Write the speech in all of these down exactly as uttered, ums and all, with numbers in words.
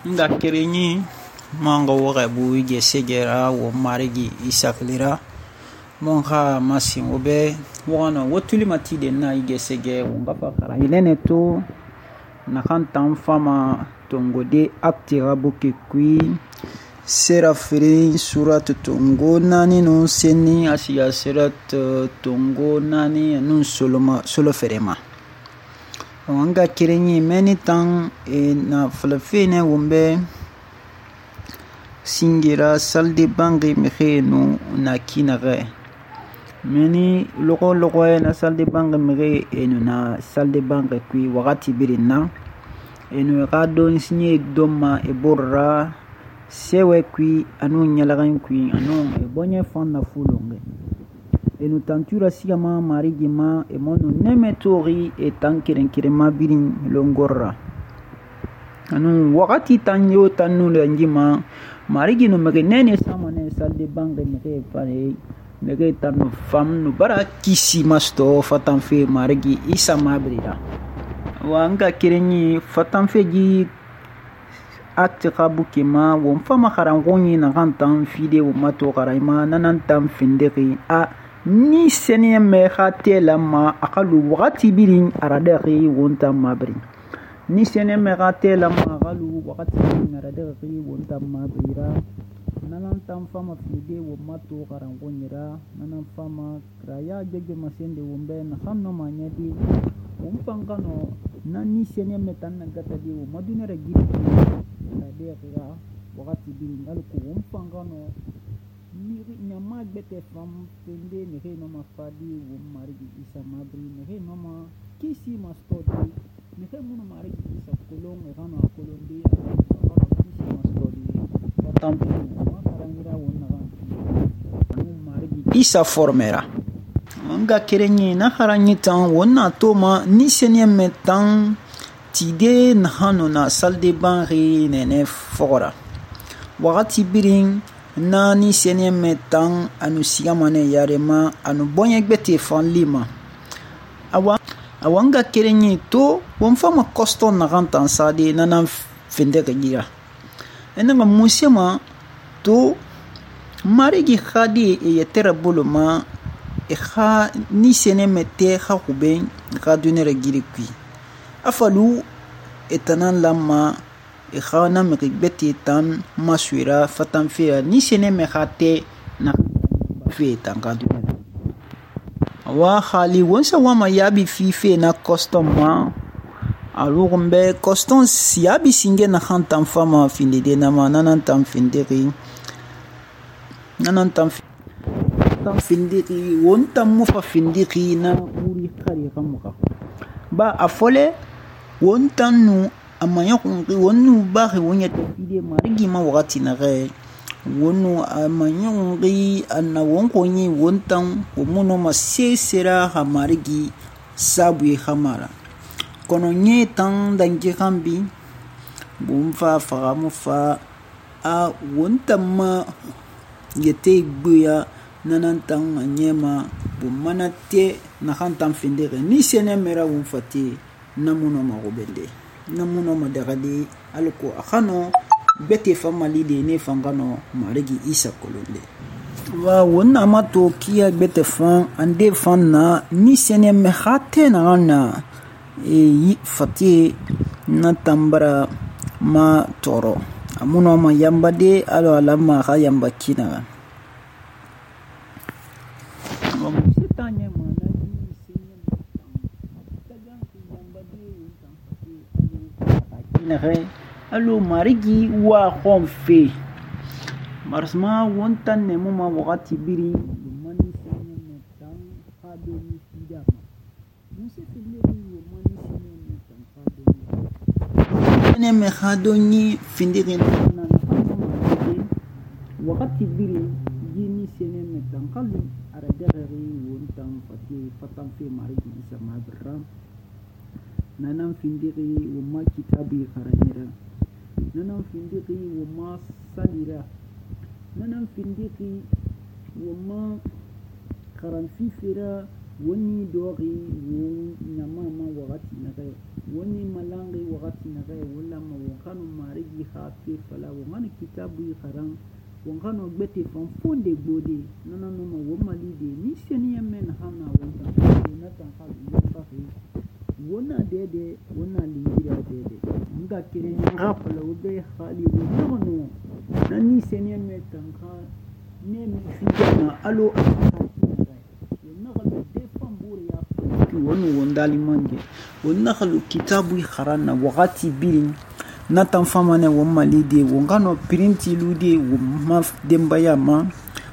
nga kerenyi manga waxa bu gesegera wo marigi isaklira mon kha masin obe wono wotuli matide na igesege wonga fakara ilene to na khantan fama tongode aktira buke kui sera fere surat tongo nani no seni asiya surat tongo nani nun soloma solo ferema wanga kerenyi meni tan e na falafene wombe singira salde bangi mexenu na kinare meni logo logo na salde bangi mexe enu na salde bangi kui wakati birin na enu ga don sinye doma e borra sewe kui anu nyalagan kui anu e bonye fan na fulonge enu tantura sigama marigi ma e mono neme tori e tankiren kirema birin longorra anu wakati tanyo tanu lenjima marigi no mege nene samane salde bange mege fare mege tanu fam no bara kisi masto fatanfe marigi isa mabrira wanga kirenyi fatanfe ji akti kabuke ma won fama kharangoni na gantan fide wo mato karaima nanan tam findeki a ni seniye me khate lama akalu wakati birin aradaki wonta mabri ni seniye me khate lama akalu wakati birin aradaki wonta mabrira nanan tam fama fide wo mato karangonyira nanan fama kraya jeje masende wombe na khanno manyadi umpangano na ni seniye me tan gata di wo madunera gidi aradaki wakati birin alko umpangano ni nyama gbete fam pende ne he no ma fadi wo marigi isa mabri ne he no ma kisi mastodi ne he muno marigi isa kolong e hano kolondi kisi mastodi tampu ma karangira wonna kan no marigi isa formera anga kerenye na haranyi tan wonna toma ni senye metan tide na hano na salde banri ne ne fora wakati birin na ni senye metan anu sigamane yarema anu bonye gbete fan lima awa awanga kerenye to won fama kosto na gantan sade nana finde gira enanga musema to marigi khadi e yetera boloma e kha ni senye mete kha kuben kha dunere giri kui afalu etanan lama e khana me gbeti tan maswira fatan fe ni sene me khate na fe tan ka du wa khali wonsa wa ma yabi fi fe na custom ma alugumbe custom siabi singe na khantan fama finde de na ma nanan tan finde ri nanan tan tan finde ri wonta mu fa finde ri na uri khari kamuka ba afole wonta nu amanya kungi wonu bahi wonya tafide marigi ma wakati na re wonu amanya kungi anna wonko nyi wontan womuno ma sesera ha marigi sabu khamara kono nye tan dangi kambi bumfa faramu fa a wonta ma yete gbuya nanan tan anyema bumana te na khantan findere ni sene mera wonfati namuno ma robende namuno madagadi alko akhano bete famali de ne fangano marigi isa kolonde wa wonna mato kia bete fan ande fan na ni sene me khate na na e fati na tambara ma toro amuno ma yambade alo alama ha yamba kina wa musitanye ma nare alo marigi wa khomfe marsma wontan ne muma wakati biri mani sene metan khado ni fida musse fille ni mani sene metan khado ni sene me khado ni findire na wakati biri yini sene metan khali ara derere wontan fati fatan fe marigi isa mabra nanan findiri wama kitabi kharanyira nanan findiri wama salira nanan findiri wama kharanfifira woni dori woni nyama ma wakati na kai woni malangi wakati na kai wala ma wakanu marigi marigi xa fe fala won xana kitabu xaran won xano gbete fan fonde gbode nana noma won malide ni seniyanmɛ naxan na won tan na tan xa yonbaxe wona dede wona lingira dede nga keren nga fala wo be xali wo naxano na ni seniyanmɛ tan xa ne mi fijana alo a xa naxalu defan bore ya ki wonu won dali mange won naxalu kitabu xaran na waxati birin na tan famane won malide won gano printi lude won ma dembaya ma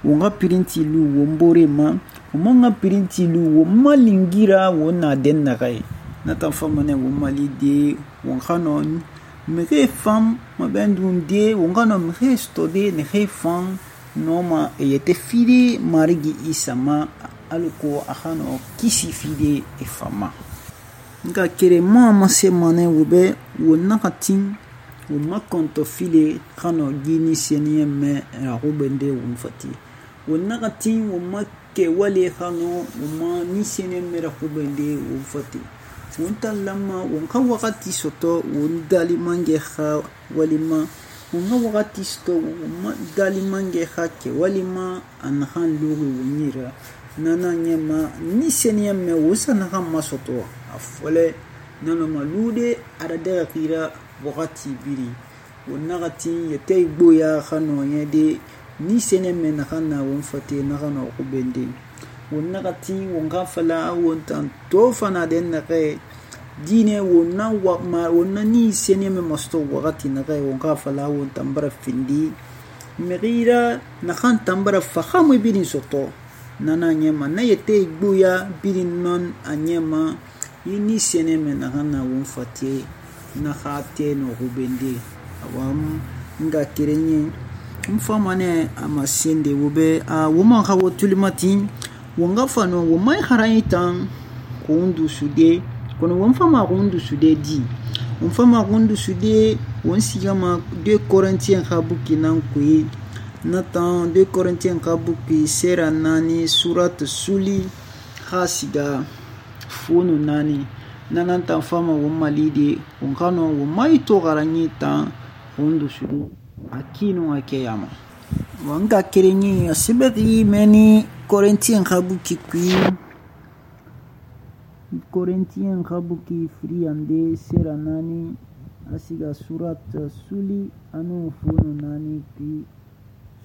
won ga printi lu won bore ma won ga printi lu won malingira won na den na kai na tan famane won malide won gano mege fam ma bendun de won gano mege stode ne ge fam noma yete fide marigi isama aluko akhano kisi fide e fama nga kere ma ma se mane wobe wonna katin wonna konto file khano gini seniye me rahubende won fati wonna katin wonna ke wale khano wonna ni seniye me rahubende won fati wonta lamma wonka wakati soto won dali mange kha walima wonka wakati soto won dali mange kha ke walima an khan lugu wonira nana nyema ni seniyamme wosana kan masoto afole nana malude arada kira wakati biri wonagati yete igboya khano yede ni seniyamme nakana won fate nakana ko bende wonagati wonga fala wontan to fana den nake dine wonna wa wonna ni seniyamme masto wakati nake wonga fala wontan bara findi megira nakan tambara fahamu biri soto nana nyema na yete igbuya birin non anyema yini seneme na hana won fatie na khate no hubende awam nga kirenye mfamane amasende wobe a woma khawo tulimatin wonga fano womai haraitan kundu sude kono won fama kundu sude di won fama kundu sude won sigama deux Corinthiens khabuki nan kuyi Nathan deux Corinthiens kabuki sera nani surat suli khasiga funu nani nananta fama wo malide on kano wo mai to garanyi ta hundu shudu akino akeyama wanga kerenyi asibati meni Corinthiens kabuki kui Corinthiens kabuki friande sera nani asiga surat suli anu funu nani kui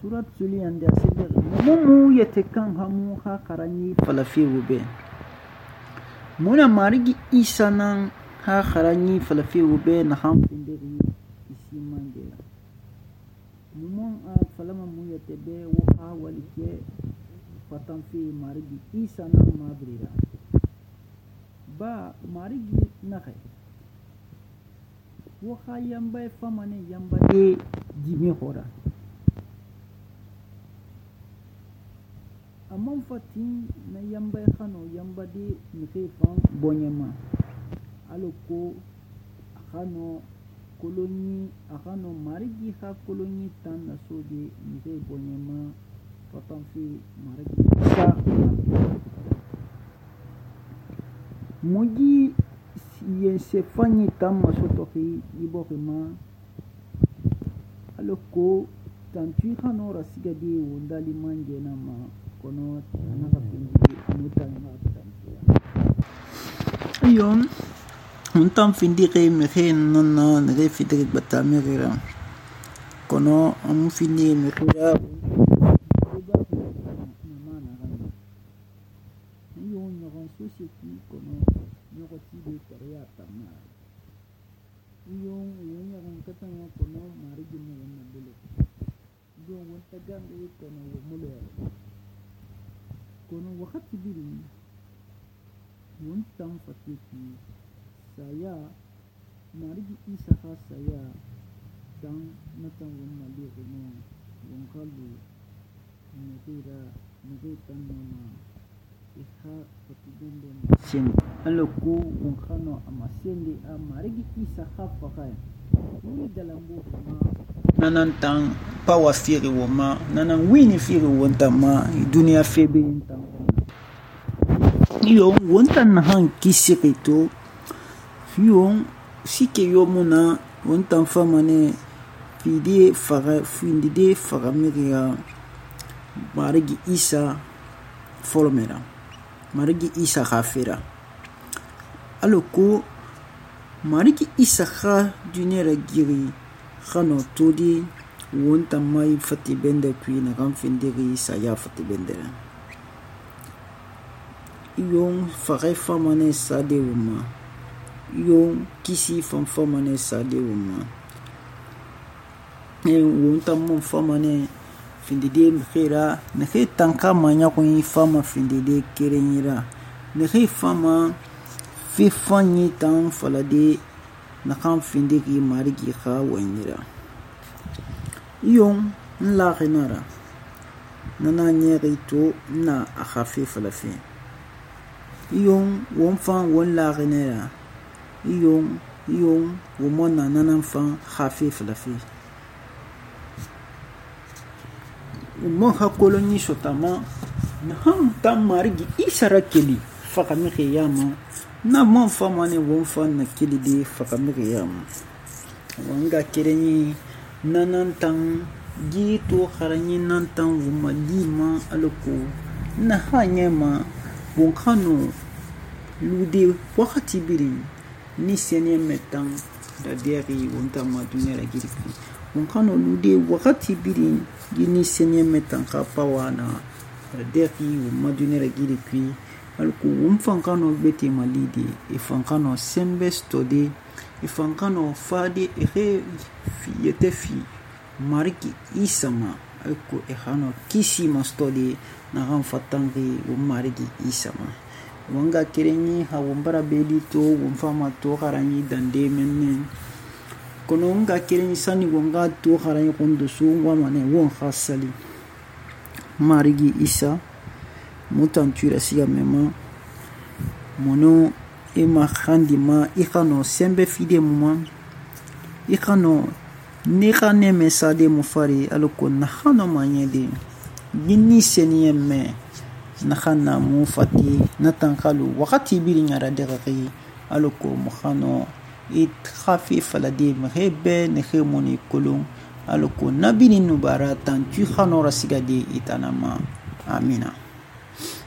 surat suli ande asibir mumu yetekan hamu ha karani falafi wube muna marigi isa nan ha karani falafi wube na hamfindiri isi mange mumon a falama mu yetebe wo ha walike fatanfi marigi isa nan mabrira ba marigi nakai wo ha yamba famane yamba de jimi hora amman fati na yamba khano yamba de mike fan bonyema aloko khano koloni khano marigi kha koloni tan na sodi mike bonyema patan fi marigi sa moji ye se fani tam masoto fi iborima aloko tantu khano rasiga de wondali manje na ma kono nakapindi mutanga tantia yon untam findi ke mekhe nana nge fitri batamira kono am findi mekha yon yon society kono nyoti de korea tamma yon yon yon katanya kono marigi mo na bele yon wonta gambe kono mulo kono wakati biri wontan fatiki saya marigi isa kha saya dan natan won mali kono won kalu ngira ngira mama ikha fatidende sin aloko won khano amasende a marigi isa kha fakai ni galambo nanantang pawa firi woma nanan wini firi wontama dunia febe intan yo wontan han kisirito yo sike yo muna wontan famane fide faga findide faga miriya marigi Isa folomera marigi Isa khafira aloko marigi Isa kha duniyara giri khano todi wonta mai fati bende kui na kan findiri saya fati bendera yon faga famane sade wuma yon kisi fan famane sade wuma e wonta mon famane findide mkhira ne khe tanka manya ko yi fama findide kerenyira ne khe fama fi fanyi tan falade na kan findigi marigi kha wanyira yon la renara nana nyeri to na akhafi falafi yon won fan won la renara yon yon won na nana fan khafi falafi mon hakoloni sotama na ham tam marigi Isa keli fakami khiyama na mon famane won fan na keli de fakami khiyama wanga kereni nanan tan gi to kharanyi nan tan wuma lima aloko na hanyema won khano lude wakati biri ni senye metan da deri won ta ma dunera girki won khano lude wakati biri gini senye metan ka pawana da deri wuma dunera girki aloko won fan khano beti malidi e fan khano sembe stode ifankano fadi ehe yete fi mariki Isa ma alko ehano kisi mastodi na ran fatangi wo mariki Isa ma wanga kerenyi ha wombara beli to wonfama to haranyi dande menne kono wanga kerenyi sani wanga to haranyi kondo su wamane won khasali mariki Isa mutantura siya mema mono ima khandi ma ikano sembe fide muma ikano nika neme sade mufari aloko nakhano manyede gini seniyemme nakhana mufati natankalu wakati biri nyara degaki aloko mukhano it khafi falade mhebe nekhe moni kolon aloko nabini nubara tan tu khano rasigade itanama amina.